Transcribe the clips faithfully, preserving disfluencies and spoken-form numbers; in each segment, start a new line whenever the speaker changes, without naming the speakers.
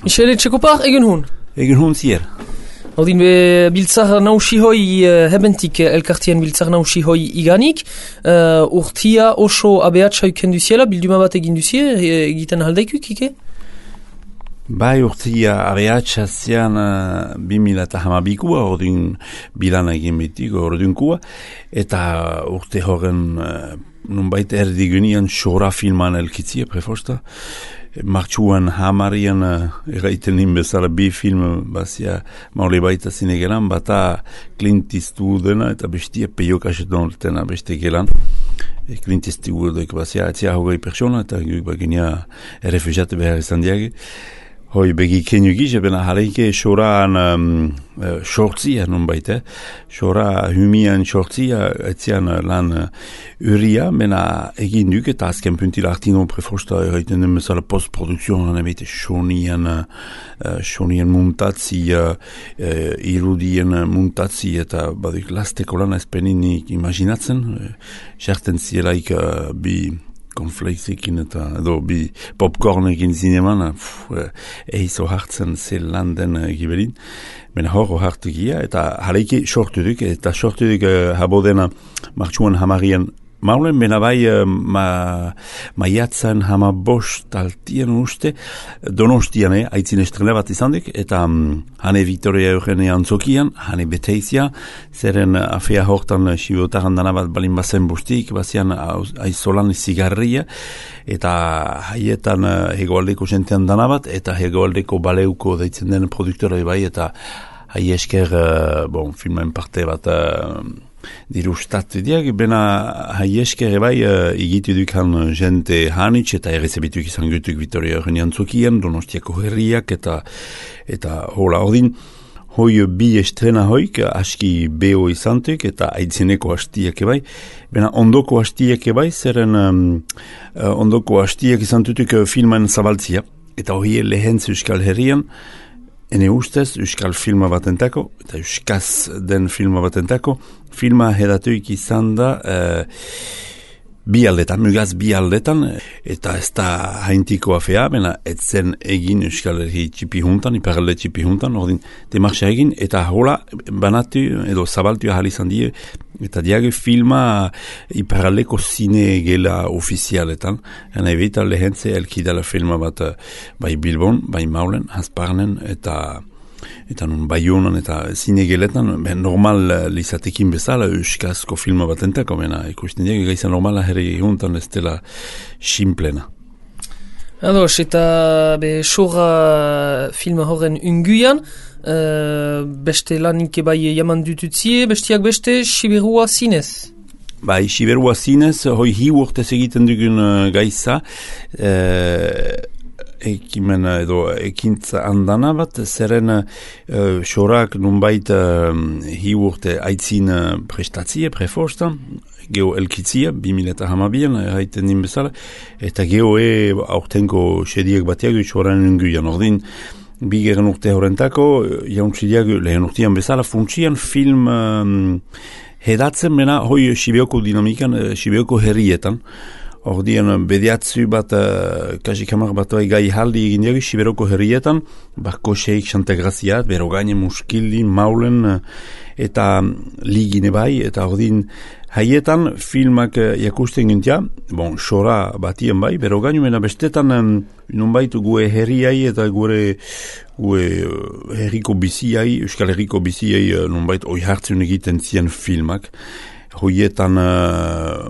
Michele Txekopar, egen hun?
Egen hun zier.
Haudin be biltzar nausi hoi uh, hebentik elkartien biltzar nausi hoi iganik. Uh, urtia oso abeatsa uken duziela, bilduma bat egin duzie, egiten haldaikuk, ike?
Bai urtia abeatsa zian uh, bimila eta hamabikua, ordin bilana egin bitiko, ordunkua, eta urte horren uh, nunbait erdigunian xora filman elkitzia, prefosta. Martxuan hamarian uh, eraiten inbezala bi film bazia maule baita zinegelan, bata Clint Eastwoodena eta bestia Peio Kaxeton tena beste gelan. E Clint Eastwoodek bazia atzia hogei persona eta guk bagenia errefugiate behar izan diage. Hoi begi kenyu gize, bena hareike xoraan um, uh, xortzia non baita, xora humian xortzia etzian lan uh, uria, bena egin duk eta azken puntila artino prefosta erraiten den bezala postprodukzion ebete xonian, uh, xonian muntatzi, uh, uh, irudien muntatzi eta badik lasteko lan ezpeninik imaginatzen, xerten uh, zielaik uh, bi konflexikin eta edo bi popcornekin zineman, eizo hartzen zel landen uh, giberin, bena horro hartu gia, eta haleike sortu duk, eta sortu duk uh, habodena martxuan hamarian maulen, bena bai uh, ma, maiatzen hama bost altien uste, donostian, eh, aitzin estrela bat izan duk, eta um, hane Victoria Eugenia antzokian, hane beteizia, zeren uh, afea hortan uh, sibotaran dana bat balin bazen bustik, bazian uh, aizolan zigarria, eta haietan uh, hegoaldeko jentean dana bat, eta hegoaldeko baleuko deitzen den produktora bai, eta hai esker, uh, bon, filmen parte bat uh, dirustatu diak, bena hai esker bai uh, igitu dukan jente hanitz eta errezebituk izan gutuk Victoria Eugenia antzokian, Donostiako herriak eta eta hola ordin hoi bi estrena hoik aski beho izantuk eta aitzineko hastiak bai, bena ondoko hastiak bai, zeren um, uh, ondoko hastiak izantutuk uh, filman zabaltzia, eta hoi lehentz Euskal Herrian, ene ustez, Euskal filma batentako, eta Euskaz den filma batentako, filma hedatuik izan da uh, bi aldetan, mugaz bi aldetan, eta ez da haintiko afea, bena etzen egin Euskal Herri txipi juntan, iparalde txipi juntan, ordin demarxa egin, eta hola banatu, edo zabaltu ahal izan die, eta diage filma iparaldeko zine gela ofizialetan, ena ebita lehentze elkidala filma bat bai Bilbon, bai Maulen, Hasparnen, eta eta nun Baionan eta zinegeletan, ben normal lizatekin bezala euskazko filma batentako, bena ikusten diak, gaisa normala herri juntan ez dela simplena.
Ados, eta be xorra filma horren unguian, uh, beste lanik bai jaman dututzie, bestiak beste Siberua zinez.
Bai, Siberua zinez, hoi hi urtez egiten dugun uh, gaisa, uh, ekimen edo ekintza andana bat, zeren uh, xorak nunbait uh, hi urte aitzin uh, prestatzie, preforsta, geho elkitzia, bimila eta hamabian, haiten din bezala, eta geho e aurtenko sediak batiak xoran unguian, ordin, bigeren urte horrentako, jauntzidiak lehen urtean bezala, funtsian film um, hedatzen bena, hoi Sibeoko dinamikan, uh, Sibeoko herrietan, ordian bediatzu bat, uh, kasikamar bat gai haldi egin diaguz, Siberoko herrietan, bako seik Santagraziat, Berogaine, Muskildi, Maulen, uh, eta ligine bai, eta ordin haietan filmak uh, jakusten gintia, bon, xora batien bai, Berogaine, mena bestetan um, nonbait gue herriai eta gure gue uh, herriko biziai, Euskal Herriko biziai uh, nonbait oi hartzen egiten zien filmak, hoietan uh,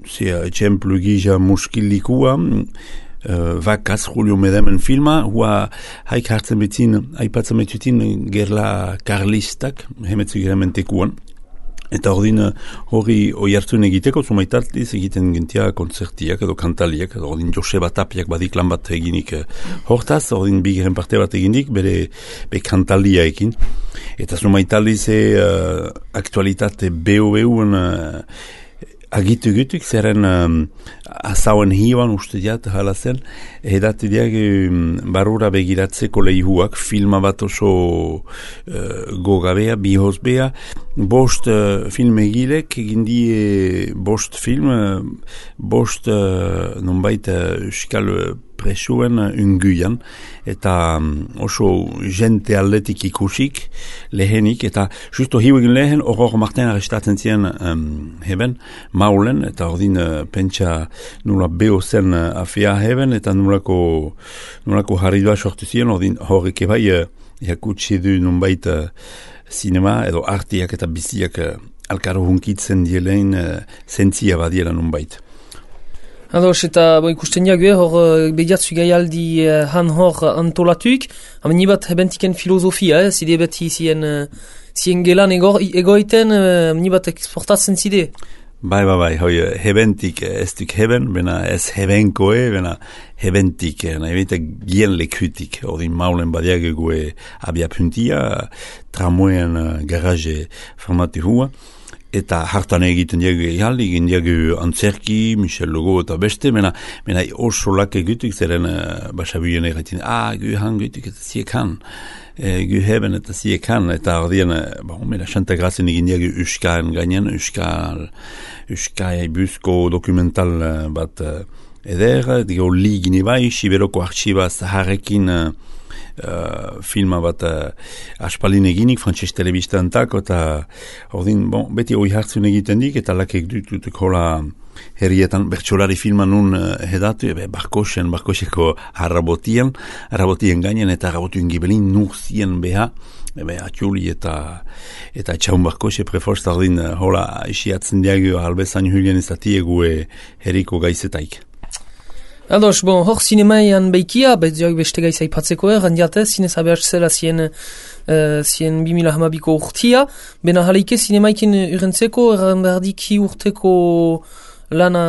zia, etxemplu gisa muskilikua, uh, vakaz Julio Medemen filma, hua haik hartzen betzin, aipatzen betzutin gerla karlistak, hemetzu geramentekuan, eta ordin hori oi hartzun egiteko, zumaitartiz egiten gentia konzertiak edo kantaliak, edo ordin Joseba Tapiak badik lan bat eginik uh, hortaz, ordin bigeren parte bat eginik, bere be kantalia ekin, eta zumaitartiz uh, aktualitate beho-behoen uh, agitu gutuk, zeren um, azauen hioan uste diat hala zen, edatu diak um, barura begiratzeko lehihuak, filma bat oso uh, gogabea, bihozbea, bost uh, film egilek, egindie bost film, uh, bost uh, nonbait uh, euskal presuen unguian, eta um, oso jente aldetik ikusik, lehenik, eta justo hiuegin lehen, horror marten arrestatzen ziren um, heben, maulen, eta ordin uh, pentsa nula beho zen uh, afea heben, eta nulako, nulako harridua sortu ziren, ordin horrek ebai, uh, jakutsi du nunbait uh, sinema, edo artiak eta biziak uh, alkaro hunkitzen dielein uh, zentzia badiela nunbait.
Ados, eta bo, ikusten jague, hor behiatzu gaialdi uh, han hor antolatuik, hamen nibat hebentiken filosofia, eh, zide beti zien, uh, zien gelan ego, egoiten, uh, nibat exportatzen zide.
Bai, bai, bai, hoi, hebentik ez duk heben, bena ez hebenkoe, bena hebentik, nahi bete gien lekutik, ordin maulen badiage gue abia puntia, tramoen uh, garaje formati hua, eta hartan egiten diagu ehaldi, egin diagu antzerki, Michel Logo eta beste, mena, mena oso lake gutuk, zeren uh, basabuien egatin, ah, gu han gutuk eta ziek han, e, gu heben eta ziek han, eta ordien, uh, bon, mena xanta grazen egin diagu uskaen gainen, uskal, uskai buzko dokumental uh, bat uh, eder, digo ligini bai, Siberoko arxiba zaharrekin uh, Uh, filma bat uh, aspalin eginik, frantses telebistantak, eta ordin, bon, beti hoi hartzun egiten dik, eta lakek dututuk hola herrietan bertsolari filma nun uh, hedatu, ebe barkosen, barkoseko harrabotien, harrabotien gainen, eta harrabotien gibelin nur zien beha, ebe atxuli eta eta etxaun barkose preforst, ordin, uh, hola isiatzen diagu albezan hulien izatiegu herriko gaizetaik.
Ados, bon, hor zinemaian beikia, betzoak beste gaiza ipatzeko er, handiate, zinez abeaz zela zien, uh, zien bimila hamabiko urtia, bena jaleike zinemaikin urentzeko, erran berdiki urteko lana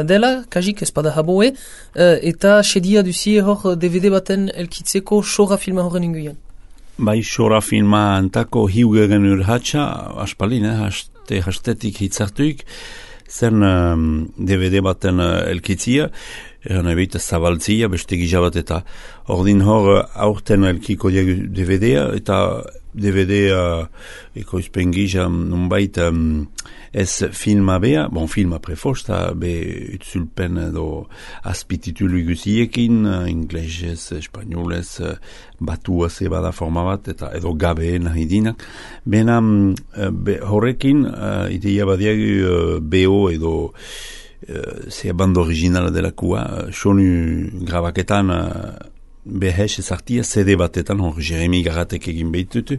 dela, kajik espada haboe, uh, eta sedia duzie hor D V D baten elkitzeko xora filma horren inguian.
Bai, xora filma antako hiugeren urhatxa, aspalin, eh, haste, hastetik hitzartuik, zen um, D V D baten uh, elkitzia, eran ebita zabaltzia, beste gizabat eta ordin hor aurten elkiko diagu D V D-a, eta D V D-a ekoizpen giza nunbait um, ez filma bea, bon filma prefosta, be utzulpen edo azpititulu guziekin, inglesez, espanolez, batua zebada forma bat, eta edo gabe nahi dinak. Bena be, horrekin, uh, ideia badiagu uh, B O edo Uh, zea banda originala delakua, uh, sonu grabaketan uh, behes ezartia C D batetan, hor Jeremy Garatek egin behitutu,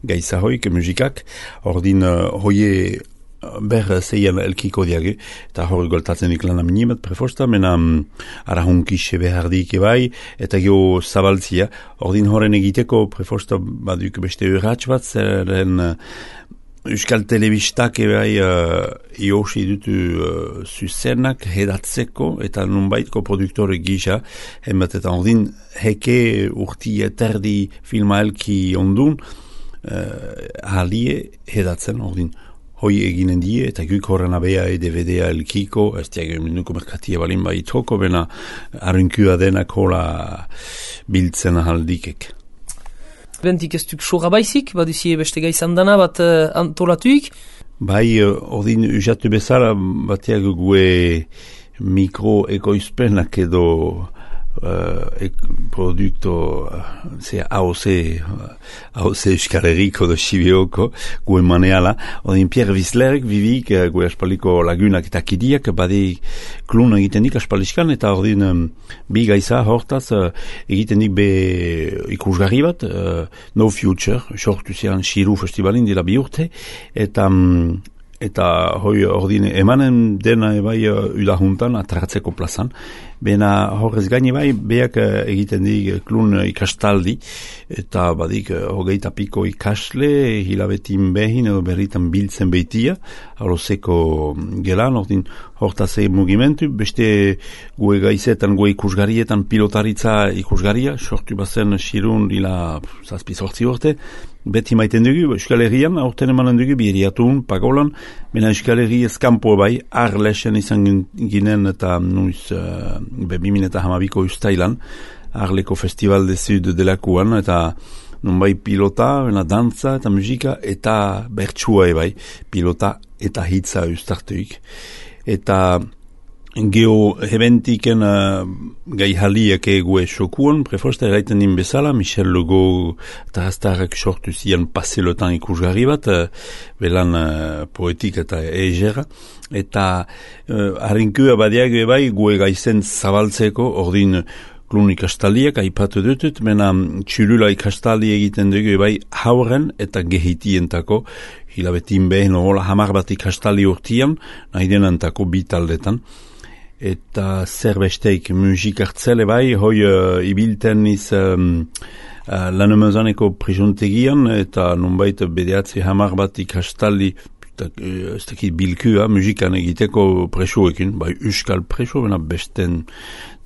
gaiza hoik, musikak, ordin uh, hoie uh, ber zeian elkiko diage, eta hor goltatzen iklan aminimet prefosta, mena um, arahunkixe behardik ebai, eta geho zabaltzia, ordin horren egiteko prefosta baduk beste urratx bat, zeren uh, Euskal Telebistak ebai uh, iosi dutu uh, zuzenak hedatzeko eta nunbaitko produktore gisa, hemet eta ordin heke urti eterdi filma elki ondun uh, halie hedatzen ordin. Hoi eginen die eta guk horren abea e D V D-a elkiko, ez diagio minuko merkatia balin baitoko, bena arrunkua denak hola biltzen ahaldikek.
Bentik ez duk xora baizik, baduzie beste gaizan dana bat uh, antolatuik.
Bai, ordin usatu bezala, bateak gue mikro ekoizpenak edo uh, ek, produkto uh, A O C A O C Euskal Herriko do Sibioko gue maneala, ordin Pierre Wisslerek vivik uh, gue aspaliko lagunak eta kidiak bade klun egiten dik aspaliskan, eta ordin um, bi gaiza hortaz uh, egiten dik be ikusgarri bat, uh, No Future, sortu zian Shiru Festivalin dira bi urte, eta um, eta hoi ordin emanen dena ebai uh, udahuntan atratzeko plazan, bena horrez gaini bai beak uh, egiten dik klun uh, ikastaldi, eta badik uh, hogeita piko ikasle hilabetin behin edo berritan biltzen beitia, alozeko gelan, ordin hortaz egin mugimentu, beste gue gaizetan, gue ikusgarietan pilotaritza ikusgaria, sortu bazen Shirun ila zazpi sortzi urte, beti maiten dugu, Euskal Herrian, aurten emanen dugu, biheriatun, pagolan, mena Euskal Herri eskampo bai, arlesen izan ginen eta nuiz uh, bebimin eta hamabiko ustailan, arleko festival de sud delakuan, eta nunbai pilota, bena dantza eta musika, eta bertsua ebai, pilota eta hitza ustartuik. Eta Geo hebentiken uh, gai haliak egue sokuan, prefosta eraiten din bezala, Michel Legault eta hastarrak sortu zian paselotan ikusgarri bat, uh, belan uh, poetik eta egera, eta uh, harinkua badiak bai gue gaizen zabaltzeko, ordin klun ikastaliak aipatu dutut, mena txulula ikastali egiten dugu bai hauren eta gehitientako, hilabetin behen hola hamar bat ikastali urtian, nahi denantako bi taldetan. Eta zerbesteik musik hartzele bai, hoi uh, ibilten iz um, uh, lanemezaneko prisontegian, eta nonbait bedeatzi hamar bat ikastaldi, ez dakit bilkua, musikan egiteko presoekin, bai euskal preso, bena besten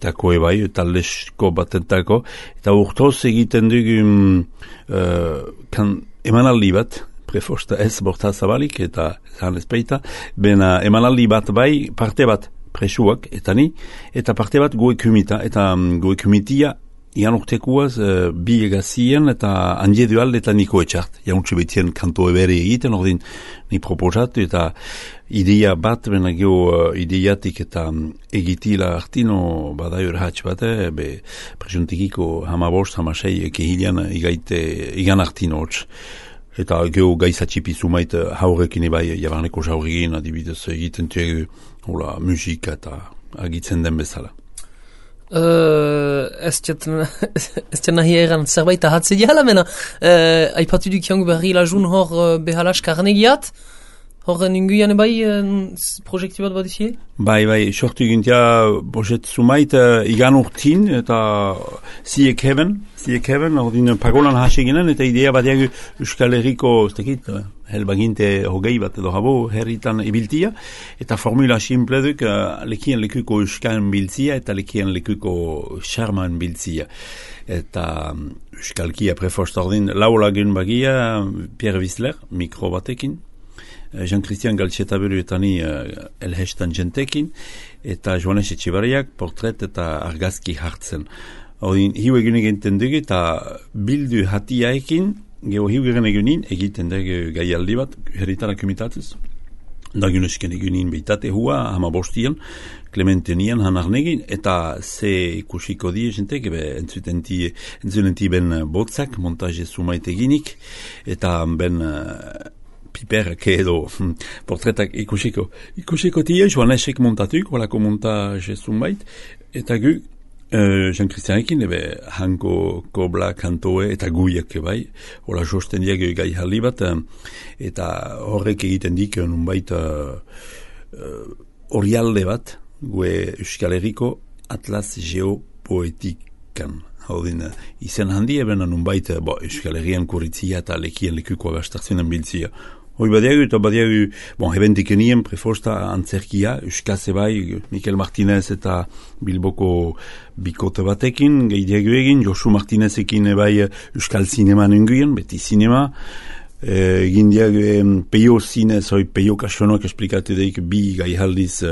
tako ebai, taldesko batentako, eta urtoz egiten dugu uh, kan, emanaldi bat, prefosta ez borta zabalik, eta zan ezpeita, bena emanaldi bat bai, parte bat, presuak, eta ni, eta parte bat goe kumita, eta um, goe kumitia, ian urtekuaz, uh, bi egazien, eta handie dual, eta niko etxart. Jauntxe betien kanto ebere egiten, ordin, ni proposatu, eta idea bat, bena geho uh, ideiatik, eta um, egitila artino, bada urhatx bat, eh, be, presuntikiko hamabost, hamasei, kehilian, igaite, igan artino hotx. Eta geho gaizatxipi zumait haurekin ebai, jabarneko jaurigin, adibidez egiten tuegu, hola, musika eta agitzen den bezala.
Uh, ez txet nahi egan zerbait ahatze diala, mena, uh, aipatu duk jangu berri lajun hor uh, behalas karnegiat, hor ninguian ebai uh, projekti bat bat izi?
Bai, bai, sortu gintia bojet zumait uh, igan urtin eta ziek heben, ziek heben, ordin pagolan hase ginen, eta idea bat diagu Euskal Herriko, ez tekit, uh, helbaginte hogei bat edo habo herritan ibiltia, eta formula simple duk uh, lekien lekuko Euskal biltzia eta lekien lekuko Charman biltzia. Eta um, Euskalkia preforst ordin laulagun bagia Pierre Wissler, mikro batekin, Jean-Christian Galtxetabelu eta ni uh, elhestan jentekin, eta Joanes Etxibariak portret eta argazki hartzen. Odin, hiu egun egiten dugu, eta bildu hatiaekin, geho hiu egen egunin, egiten dugu gaialdi bat, herritara kumitatuz. Dagunesken egunin beitate hua, hama bostian, Clementenian hanarnegin, eta ze ikusiko die jentek, entzunenti ben botzak, montaje sumait eginik, eta ben uh, piperak edo hm, portretak ikusiko. Ikusiko tie, Joanesek montatuk, holako montaje sumait, eta gu, uh, Jean-Christianekin, ebe hanko kobla kantoe eta guiak bai, hola josten diak gai halli bat, eta horrek egiten dik, nunbait horialde uh, bat, gue Euskal Herriko Atlas Geopoetikan. Haudin, izen handi eben nunbait, bo, Euskal Herrian kuritzia eta lekien lekuko abastartzenen biltzia. Hoi badiagu eta badiagu, bon, hebentik enien prefosta antzerkia, Euskase bai, Mikel Martinez eta Bilboko bikote batekin, gehiago egin, Josu Martinezekin bai Euskal Zinema nenguien, beti zinema, egin e, diago e, peio zinez, hoi peio kasonoak esplikatu daik bi gaihaldiz,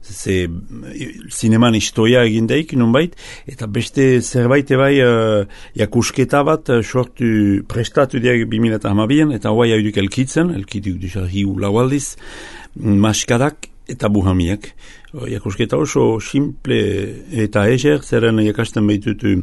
ze zineman historia egin daik, nonbait, eta beste zerbait bai uh, jakusketa bat uh, sortu prestatu diak bi mila hamabien, eta hoa jauduk elkitzen, elkituk duzar hiu laualdiz, maskadak eta buhamiak. Uh, jakusketa oso simple eta eger, zeren jakasten behitutu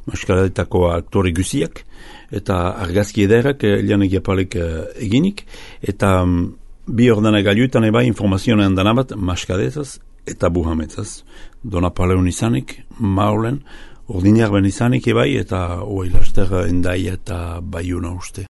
maskadetako aktore guziak, eta argazki ederak, elian egiapalek uh, eginik, eta um, bi ordena gaiutan eba informazioan danabat maskadezaz eta buhametzaz. Dona paleun izanik, maulen, ordinar ben izanik ebai, eta oai laster endaia eta baiuna uste.